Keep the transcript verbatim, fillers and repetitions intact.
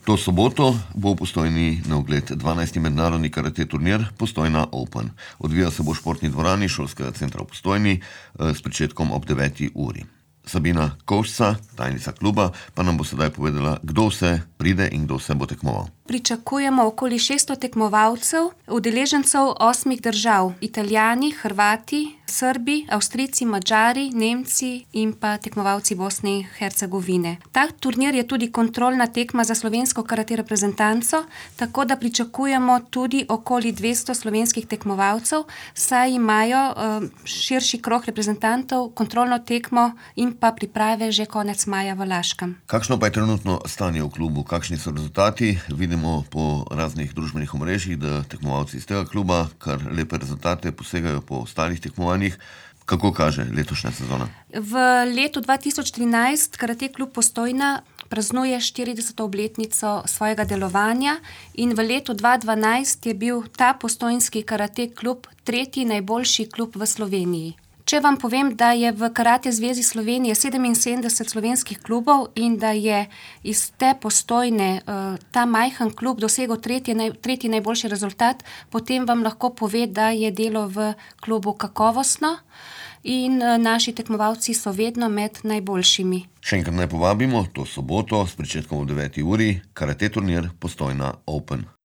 To soboto bo v Postojni na ogled dvanajsti mednarodni karate turnir Postojna Open. Odvija se bo v športni dvorani Šolskega centra v Postojni s pričetkom ob deveti uri. Sabina Kovšca, tajnica kluba, pa nam bo sedaj povedala, kdo vse pride in kdo vse bo tekmoval. Pričakujemo okoli šeststo tekmovalcev, udeležencev osmih držav. Italijani, Hrvati, Srbi, Avstrijci, Madžari, Nemci in pa tekmovalci Bosne in Hercegovine. Ta turnir je tudi kontrolna tekma za slovensko karate reprezentanco, tako da pričakujemo tudi okoli dvesto slovenskih tekmovalcev, saj imajo uh, širši krog reprezentantov kontrolno tekmo in pa priprave že konec maja v Laškem. Kakšno pa je trenutno stanje v klubu? Kakšni so rezultati? Vidimo po raznih družbenih omrežjih, da tekmovalci iz tega kluba kar lepe rezultate posegajo po ostalih tekmovanjih. Kako kaže letošnja sezona? V letu dva tisoč trinajst Karate klub Postojna praznuje štirideseto obletnico svojega delovanja in v letu dva tisoč dvanajst je bil ta postojnski karate klub tretji najboljši klub v Sloveniji. Če vam povem, da je v Karate zvezi Slovenije sedeminsedemdeset slovenskih klubov in da je iz te Postojne uh, ta majhen klub dosegel tretji, naj, tretji najboljši rezultat, potem vam lahko pove, da je delo v klubu kakovostno in uh, naši tekmovalci so vedno med najboljšimi. Še enkrat naj povabimo, to soboto s pričetkom ob deveti uri, karate turnir Postojna Open.